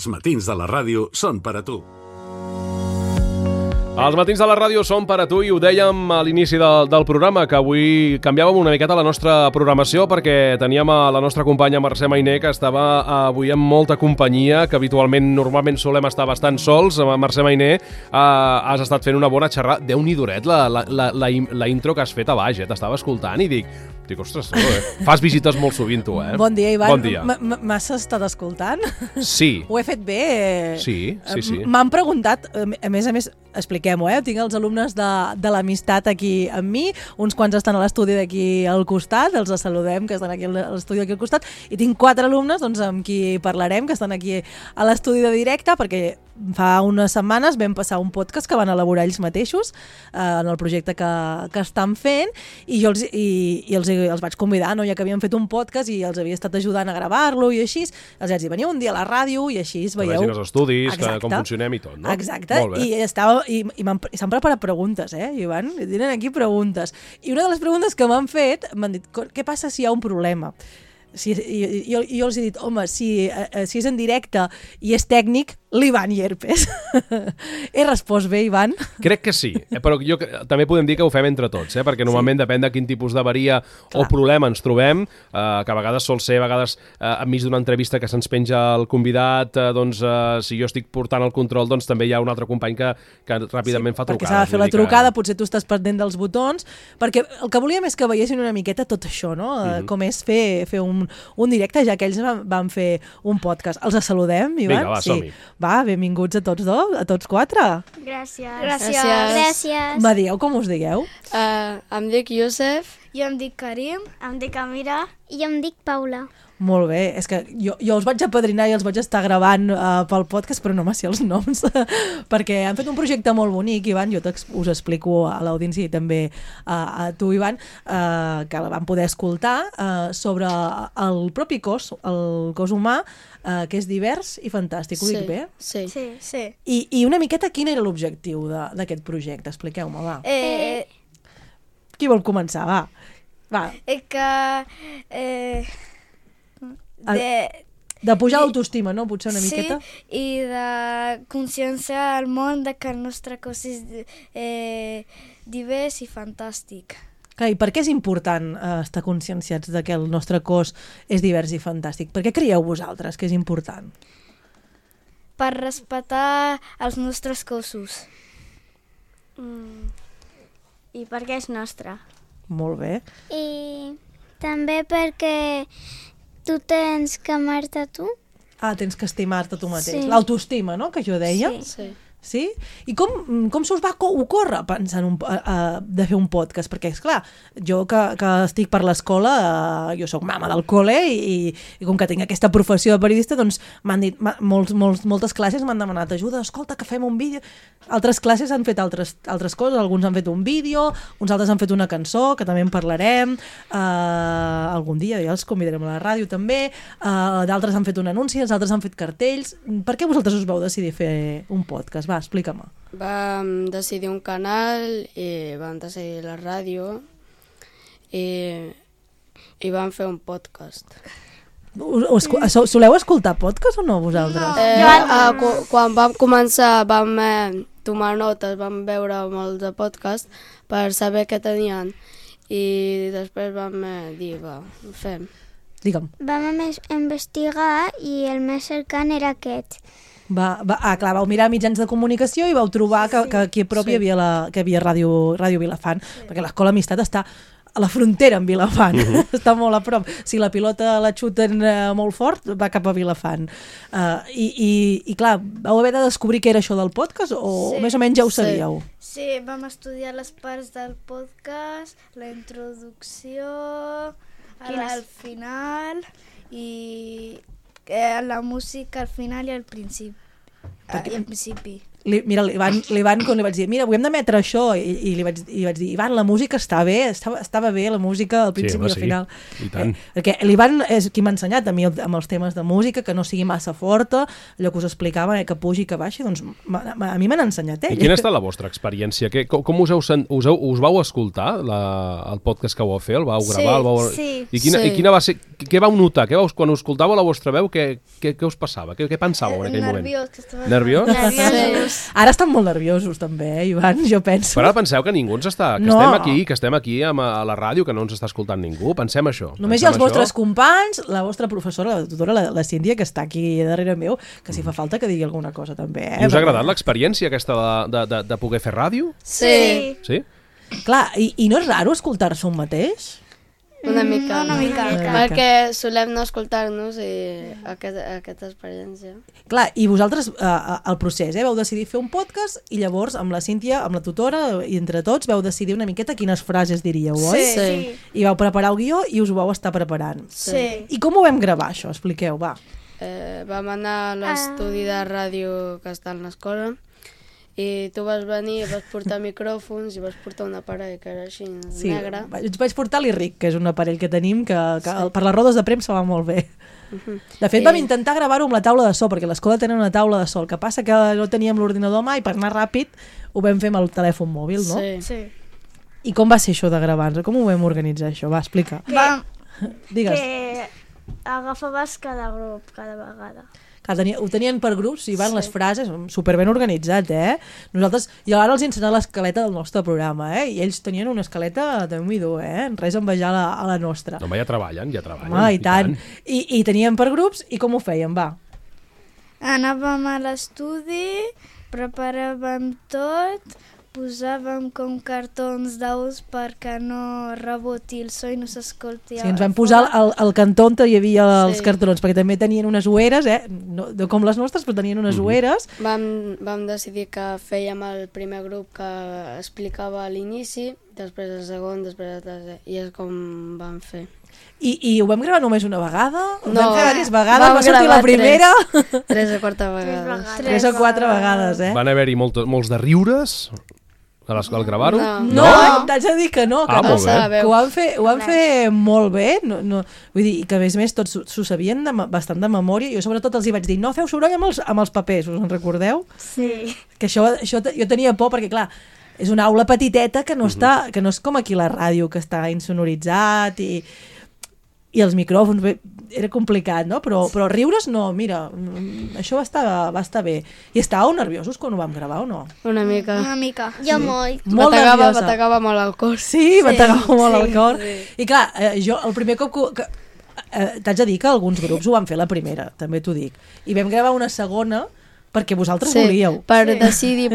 Els matins de la ràdio són per a tu. Els matins de la ràdio són per a tu i ho dèiem a l'inici del programa, que avui canviàvem una miqueta la nostra programació perquè teníem a la nostra companya Mercè Mainer, que estava avui amb molta companyia, que normalment solem estar bastant sols. Mercè Mainer, has estat fent una bona xerrada. Déu-n'hi-do, la intro que has fet a baix, t'estava escoltant i dic, ostres, fas visites molt sovint tu, eh? Bon dia, Ivan. Bon dia. M'has estat escoltant? Sí. Ho he fet bé? Sí. M'han preguntat, a més, expliquem-ho, tinc els alumnes de l'amistat aquí amb mi, uns quants estan a l'estudi d'aquí al costat, els saludem, que estan aquí a l'estudi d'aquí al costat, i tinc 4 alumnes amb qui parlarem, que estan aquí a l'estudi de directe, perquè fa unes setmanes vam passar un podcast que van elaborar ells mateixos en el projecte que estan fent, i jo els vaig convidar, ja que havien fet un podcast i els havia estat ajudant a gravar-lo i així, els vaig dir, veniu un dia a la ràdio i així veieu... Que vegin els estudis, com funcionem i tot, no? Exacte, i s'han preparat preguntes, Ivan, i tenen aquí preguntes. I una de les preguntes que m'han fet, m'han dit, què passa si hi ha un problema? Jo els he dit, home, si és en directe i és tècnic, l'Ivan Llerpes. He respost bé, Ivan? Crec que sí, però també podem dir que ho fem entre tots, perquè normalment depèn de quin tipus d'avaria o problema ens trobem, que a vegades sol ser, enmig d'una entrevista que se'ns penja el convidat, si jo estic portant el control, doncs també hi ha un altre company que ràpidament fa trucades. Perquè s'ha de fer la trucada, potser tu estàs pendent dels botons, perquè el que volíem és que veiessin una miqueta tot això, no? Com és fer un directe, ja que ells van fer un podcast. Els saludem, Ivan? Vinga, va, som-hi. Va, benvinguts a tots dos, a tots 4. Gràcies. Me dieu com us digueu? Em dic Youssef. Jo em dic Karim. Em dic Amira. I jo em dic Paula. Molt bé, és que jo els vaig apadrinar i els vaig estar gravant pel podcast, però no me sé els noms, perquè han fet un projecte molt bonic, Ivan, jo us explico a l'audiència i també a tu, Ivan, que la van poder escoltar sobre el propi cos, el cos humà, que és divers i fantàstic, ho dic bé? Sí. I una miqueta quin era l'objectiu d'aquest projecte? Expliqueu-me, va. Qui vol començar? Va. De pujar l'autoestima, no? Potser una miqueta? Sí, i de conscienciar al món que el nostre cos és divers i fantàstic. I per què és important estar conscienciats que el nostre cos és divers i fantàstic? Per què creieu vosaltres que és important? Per respectar els nostres cossos. I perquè és nostre. Molt bé. I també perquè tu tens que amar-te tu. Tens que estimar-te tu mateix. Sí. L'autoestima, no?, que jo deia. Sí. I com se us va ocórrer pensar de fer un podcast? Perquè, esclar, jo que estic per l'escola, jo sóc mama del col·le i com que tinc aquesta professió de periodista, doncs m'han dit, moltes classes m'han demanat ajuda, escolta, que fem un vídeo. Altres classes han fet altres coses, alguns han fet un vídeo, uns altres han fet una cançó, que també en parlarem, algun dia ja els convidarem a la ràdio també, d'altres han fet un anunci, els altres han fet cartells. Per què vosaltres us vau decidir fer un podcast? Va, explica-me. Vam decidir un canal i vam decidir la ràdio i vam fer un podcast. Soleu escoltar podcast o no, vosaltres? Quan vam començar vam tomar notes, vam veure molts de podcast per saber què tenien i després vam dir, ho fem. Digue'm. Vam investigar i el més cercant era aquest. Clar, vau mirar mitjans de comunicació i vau trobar que aquí a prop hi havia Ràdio Vilafant, perquè l'Escola Amistat està a la frontera amb Vilafant, està molt a prop. Si la pilota la xuten molt fort, va cap a Vilafant. I clar, vau haver de descobrir què era això del podcast o més o menys ja ho sabíeu? Sí, vam estudiar les parts del podcast, la introducció, al final i la música al final i al principi. l'Ivan, quan li vaig dir, mira, avui hem d'emetre això, i li vaig dir, Ivan, la música està bé, estava bé la música al principi i al final. I tant. Perquè l'Ivan és qui m'ha ensenyat a mi amb els temes de música, que no sigui massa forta, allò que us explicava, que pugi i que baixi, doncs a mi m'han ensenyat ell. I quina ha estat la vostra experiència? Com us vau escoltar el podcast que vau fer? El vau gravar? Sí. I quina va ser? Què vau notar? Quan us escoltàveu la vostra veu, què us passava? Què pensàveu en aquell moment? Nerviós? Nerviosos. Ara estan molt nerviosos també, Ivan, jo penso. Però ara penseu que ningú ens està... Que estem aquí a la ràdio, que no ens està escoltant ningú. Pensem això. Només hi ha els vostres companys, la vostra professora, la tutora, la Cíntia, que està aquí darrere meu, que si fa falta que digui alguna cosa també. I us ha agradat l'experiència aquesta de poder fer ràdio? Sí. Sí? Clar, i no és raro escoltar-se un mateix? Una mica. mica. Perquè solem no escoltar-nos i aquesta experiència. Clar, i vosaltres, el procés, vau decidir fer un podcast i llavors amb la Cíntia, amb la tutora i entre tots vau decidir una miqueta quines frases diríeu, oi? Sí. I vau preparar el guió i us ho vau estar preparant. Sí. I com ho vam gravar, això? Expliqueu, va. Vam anar a l'estudi de ràdio que està a l'escola i tu vas venir, vas portar micròfons i vas portar un aparell que era així negre. Vaig portar l'Irric, que és un aparell que tenim que per les rodes de premsa va molt bé. De fet, vam intentar gravar-ho amb la taula de so, perquè a l'escola tenen una taula de so. El que passa que no teníem l'ordinador mai, per anar ràpid ho vam fer amb el telèfon mòbil, no? Sí. I com va ser això de gravar-nos? Com ho vam organitzar, això? Va, explica. Digues. Que agafaves cada grup, cada vegada. Ho tenien per grups, i van les frases superben organitzat, Nosaltres, jo ara els he ensenyat l'escaleta del nostre programa, i ells tenien una escaleta de Déu-n'hi-do, res a envejar a la nostra. No, ja treballen. Home, i tant. I teníem per grups, i com ho feien, va? Anàvem a l'estudi, preparàvem tot, posàvem com cartons d'aus perquè no reboti el so i no s'escolti. Sí, ens vam posar al cantó on hi havia els cartons, perquè també tenien unes ueres, no com les nostres, però tenien unes ueres. Vam decidir que fèiem el primer grup que explicava a l'inici, després el segon, després el tercer, i és com vam fer. I ho vam gravar només una vegada? Ho No, vam fer diverses vegades? Va sortir la primera? 3 o 4 vegades. 3 o 4 vegades, Van haver-hi molts de riures al gravar-ho? No, t'haig de dir que no, que molt bé. Que ho van fer molt bé, vull dir, que a més tots s'ho sabien bastant de memòria. Jo sobretot els hi vaig dir, no feu soroll amb els papers, us en recordeu? Sí. Que això jo tenia por perquè, clar, és una aula petiteta que no és com aquí la ràdio, que està insonoritzat i els micròfons, era complicat, no? Però riures no, mira, això va estar bé. I estàveu nerviosos quan ho vam gravar o no? Una mica. Jo molt. Molt nerviosa. M'atacava molt el cor. Sí, m'atacava molt el cor. I clar, jo el primer cop t'haig de dir que alguns grups ho van fer la primera, també t'ho dic. I vam gravar una segona perquè vosaltres volíeu. Per decidir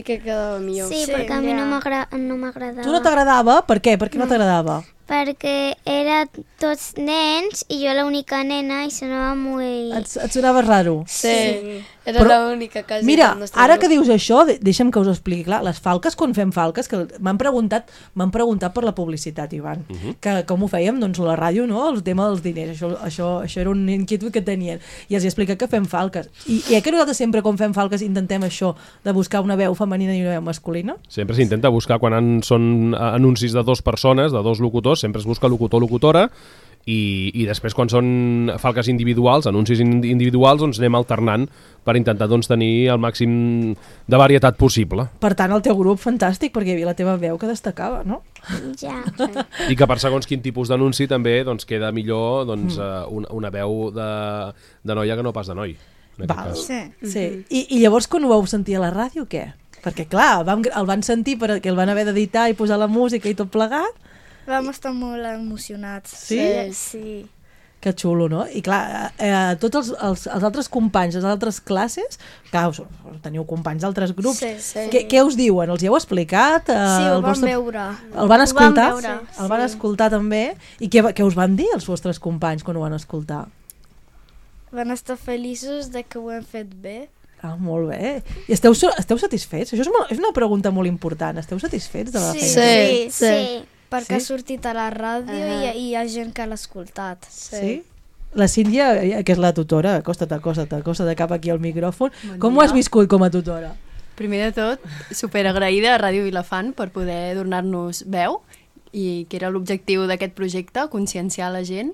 què quedava millor. Sí, perquè a mi no m'agradava. Tu no t'agradava? Per què? Per què no t'agradava? Perquè era tots nens i jo l'única nena i sonava molt... Et sonava raro? Sí. Era l'única quasi. Mira, ara que dius això, deixa'm que us ho expliqui. Clar, les falques, quan fem falques, que m'han preguntat per la publicitat, Ivan, que com ho fèiem, doncs la ràdio, no? El tema dels diners, això era un inquietud que tenien. I els he explicat que fem falques. I que nosaltres sempre, quan fem falques, intentem això, de buscar una veu femenina i una veu masculina? Sempre s'intenta buscar, quan són anuncis de 2 persones, de 2 locutors, sempre es busca locutor-locutora, i després quan són falques individuals, anuncis individuals, doncs anem alternant per intentar tenir el màxim de varietat possible. Per tant, el teu grup fantàstic, perquè hi havia la teva veu que destacava, no? Ja. I que per segons quin tipus d'anunci també queda millor una veu de noia que no pas de noi. Sí. I llavors quan ho vau sentir a la ràdio, què? Perquè clar, el van sentir perquè el van haver d'editar i posar la música i tot plegat. Vam estar molt emocionats. Sí? Que xulo, no? I clar, tots els altres companys, les altres classes, clar, teniu companys d'altres grups, què us diuen? Els hi heu explicat? Sí, ho van veure. El van escoltar? El van escoltar també? I què us van dir els vostres companys quan ho van escoltar? Van estar feliços de que ho hem fet bé. Ah, molt bé. I esteu satisfets? Això és una pregunta molt important. Esteu satisfets de la feina? Sí. Perquè ha sortit a la ràdio i hi ha gent que l'ha escoltat. Sí? La Sílvia, que és la tutora, acosta't cap aquí al micròfon. Com ho has viscut com a tutora? Primer de tot, superagraïda a Ràdio Vilafant per poder donar-nos veu i que era l'objectiu d'aquest projecte, conscienciar la gent,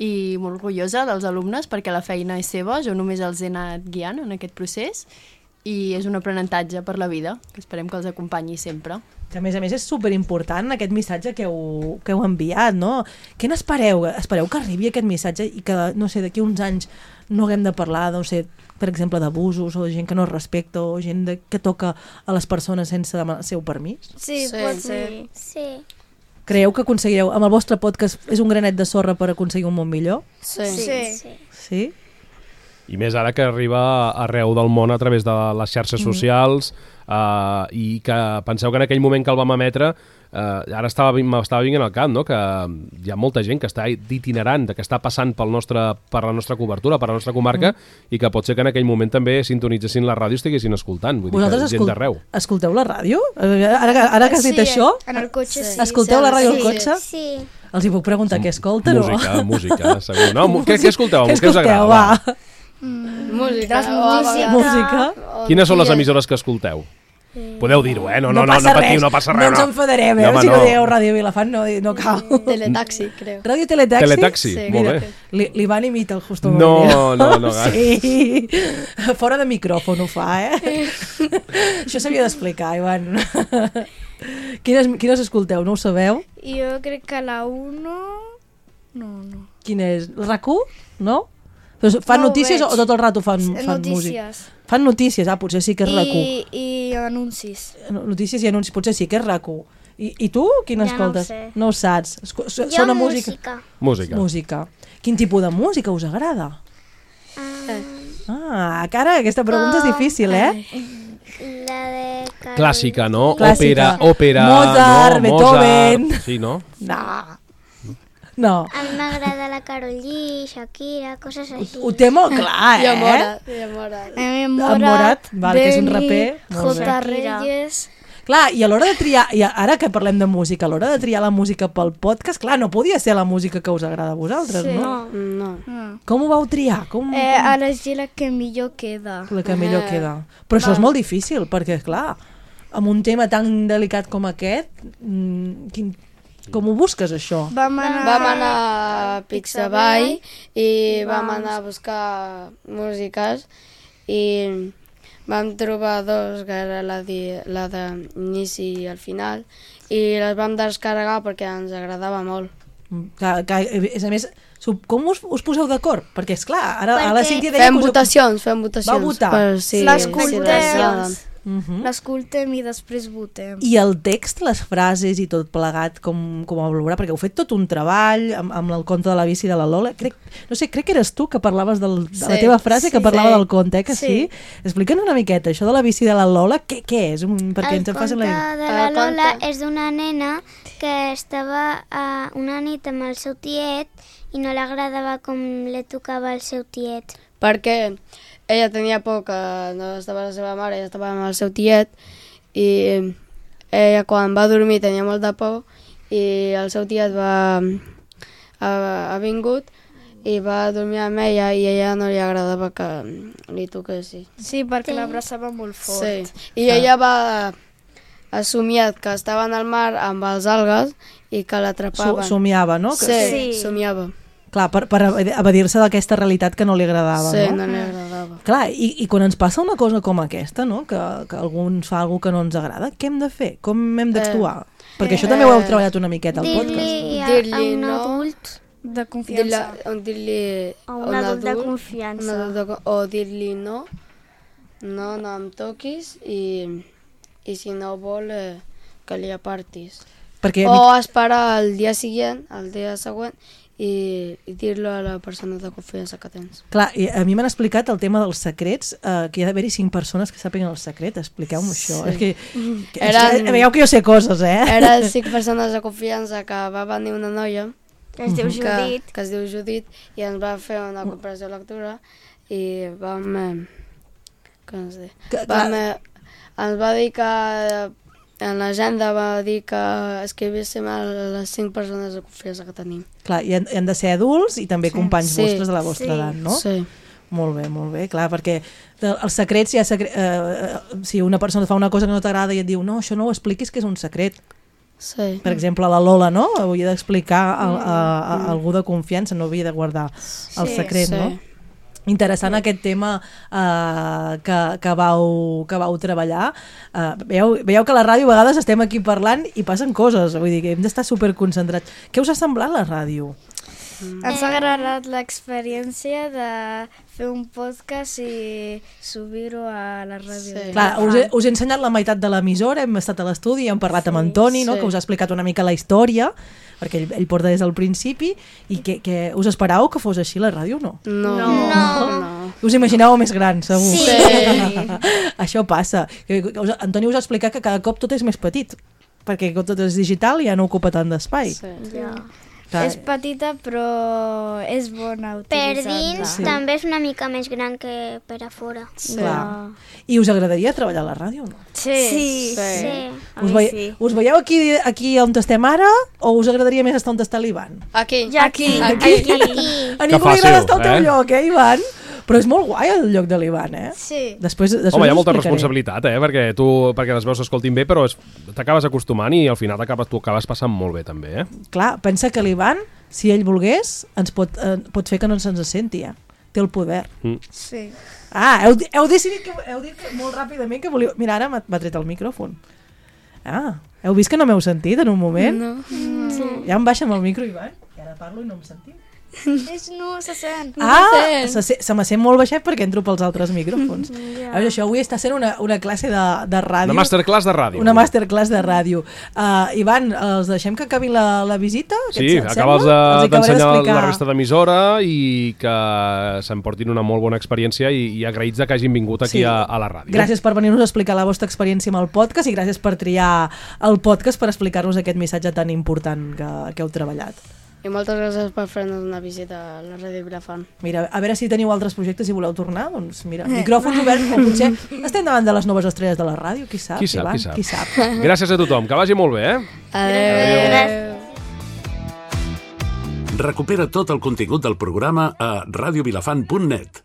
i molt orgullosa dels alumnes perquè la feina és seva, jo només els he anat guiant en aquest procés i és un aprenentatge per la vida, que esperem que els acompanyi sempre. Que a més és superimportant aquest missatge que heu enviat, no? Què n'espereu? Espereu que arribi aquest missatge i que, no sé, d'aquí uns anys no haguem de parlar, no sé, per exemple, d'abusos o de gent que no es respecta o gent que toca a les persones sense demanar el seu permís? Sí, pot ser. Sí. Creieu que aconseguireu, amb el vostre podcast és un granet de sorra per aconseguir un món millor? Sí? I més ara que arriba arreu del món a través de les xarxes socials i que penseu que en aquell moment que el vam emetre ara m'estava vinguent al cap, no? Que hi ha molta gent que està itinerant, que està passant per la nostra cobertura, per la nostra comarca i que pot ser que en aquell moment també sintonitzessin la ràdio i estiguessin escoltant. Vull dir que gent d'arreu. Escolteu la ràdio? Ara que has dit això? En el cotxe sí. Escolteu la ràdio al cotxe? Sí. Els hi puc preguntar què escolten? Música, segur. No, què escolteu? Què us agrada? Música. Quines són les emissores que escolteu? Podeu dir-ho, no patiu, no passa res. No ens enfadarem, si no dieu Ràdio Vilafant, no cal. Teletaxi, creo. Ràdio Teletaxi? Teletaxi, molt bé. L'Ivan imita el Justo No. Sí, fora de micròfon ho fa, Això s'havia d'explicar, Ivan. Quines escolteu, no ho sabeu? Jo crec que la 1... No. Quina és? RAC1? No? Fan notícies o tot el rato fan música? Fan notícies, potser sí que és RAC1. I anuncis. Notícies i anuncis, potser sí que és RAC1. I tu, quina escoltes? No ho saps. Jo música. Música. Quin tipus de música us agrada? Cara, aquesta pregunta és difícil, La de... Clàssica, no? Clàssica. Òpera, Mozart, Beethoven... Sí, no? No. A mi m'agrada la Karol G, Shakira, coses així. Ho té molt clar, I a Morat. Morat, que és un raper. J. Reyes... Clar, i a l'hora de triar, i ara que parlem de música, a l'hora de triar la música pel podcast, clar, no podia ser la música que us agrada a vosaltres, no? No. Com ho vau triar? Elegir la que millor queda. La que millor queda. Però això és molt difícil, perquè, clar, amb un tema tan delicat com aquest, com ho busques, això? Vam anar a Pixabay i vam anar a buscar músiques i vam trobar dos, que era la d'inici i al final, i les vam descarregar perquè ens agradava molt. A més, com us poseu d'acord? Perquè, esclar, ara la Cíntia deia... Fem votacions. Va votar. L'escoltem i després votem. I el text, les frases i tot plegat, com ho valorar? Perquè heu fet tot un treball amb el conte de la bici de la Lola. Crec que eres tu que parlaves de la teva frase, que parlava del conte, que sí? Explica'ns una miqueta, això de la bici de la Lola, què és? El conte de la Lola és d'una nena que estava una nit amb el seu tiet i no li agradava com li tocava el seu tiet. Perquè ella tenia por que no estava la seva mare, ella estava amb el seu tiet i ella quan va dormir tenia molta por i el seu tiet ha vingut i va dormir amb ella i a ella no li agradava que li toquessi. Sí, perquè l'abraçava molt fort. Sí, i ella va somiar que estava en el mar amb els algues i que l'atrapaven. Somiava, no? Sí, somiava. Clar, per evadir-se d'aquesta realitat que no li agradava, no? Sí, no li agradava. Clar, i quan ens passa una cosa com aquesta, no? Que algú ens fa alguna que no ens agrada, què hem de fer? Com hem d'actuar? Perquè això també ho heu treballat una miqueta al podcast. Dir-li a un adult de confiança. Dir-li a un adult de confiança. O dir-li no em toquis i si no vol que li apartis. O esperar el dia següent i dir-lo a la persona de confiança que tens. Clar, i a mi m'han explicat el tema dels secrets, que hi ha d'haver-hi 5 persones que sàpiguen el secret. Expliqueu-me això. És que veieu que jo sé coses, Eren 5 persones de confiança que va venir una noia que es diu Judit. Que es diu Judit i ens va fer una comparació de lectura i vam... ens va dir que en l'agenda va dir que escrivíssim a les 5 persones de confiança que tenim. Clar, i han de ser adults i també companys vostres de la vostra edat, no? Sí. Molt bé, clar, perquè els secrets ja... si una persona fa una cosa que no t'agrada i et diu no, això no ho expliquis, que és un secret. Sí. Per exemple, la Lola, no? Havia d'explicar a algú de confiança, no havia de guardar el secret, no? Interessant aquest tema que vau treballar. Veieu que a la ràdio a vegades estem aquí parlant i passen coses, vull dir que hem d'estar superconcentrats. Què us ha semblat la ràdio? Ens ha agradat l'experiència de fer un podcast i subir-ho a la ràdio. Sí. Clar, us he ensenyat la meitat de l'emissora, hem estat a l'estudi, hem parlat amb Antoni, no? Que us ha explicat una mica la història, perquè ell porta des del principi, i que us esperàveu que fos així la ràdio o no? No. Us imaginàveu més gran, segur. Sí. Això passa. Antoni us ha explicat que cada cop tot és més petit, perquè tot és digital i ja no ocupa tant d'espai. Sí. És petita però és bona Per utilitzar-la. dins també és una mica més gran que per a fora. Clar. I us agradaria treballar a la ràdio o no? Sí. Us veieu aquí on estem ara o us agradaria més estar on està l'Ivan? Aquí. Aquí. A ningú li agrada estar al teu lloc, Ivan? Però és molt guai el lloc de l'Ivan, Sí. Després Home, hi ha molta us explicaré. responsabilitat, perquè les veus s'escoltin bé, però t'acabes acostumant i al final tu acabes passant molt bé, també, Clar, pensa que l'Ivan, si ell volgués, ens pot fer que no se'ns senti, Té el poder. Sí. Heu decidit heu dit molt ràpidament que volíeu... Mira, ara m'ha tret el micròfon. Heu vist que no m'heu sentit en un moment? No. Ja em baixa amb el micro, Ivan, que ara parlo i no em sentiu. No se sent. Se me sent molt baixet perquè entro pels altres micròfons. A veure, això avui està sent una classe de ràdio. Una masterclass de ràdio. Una masterclass de ràdio. Ivan, els deixem que acabi la visita? Sí, acabes d'ensenyar la resta d'emissora i que s'emportin una molt bona experiència i agraïts que hagin vingut aquí a la ràdio. Gràcies per venir-nos a explicar la vostra experiència amb el podcast i gràcies per triar el podcast per explicar-nos aquest missatge tan important que heu treballat. I moltes gràcies per fer-nos una visita a la Ràdio Vilafant. Mira, a veure si teniu altres projectes i voleu tornar, doncs mira, micròfons oberts, o potser estem davant de les noves estrelles de la ràdio, qui sap, Ivan? Qui sap. Gràcies a tothom, que vagi molt bé, Adéu. Recupera tot el contingut del programa a radiovilafant.net.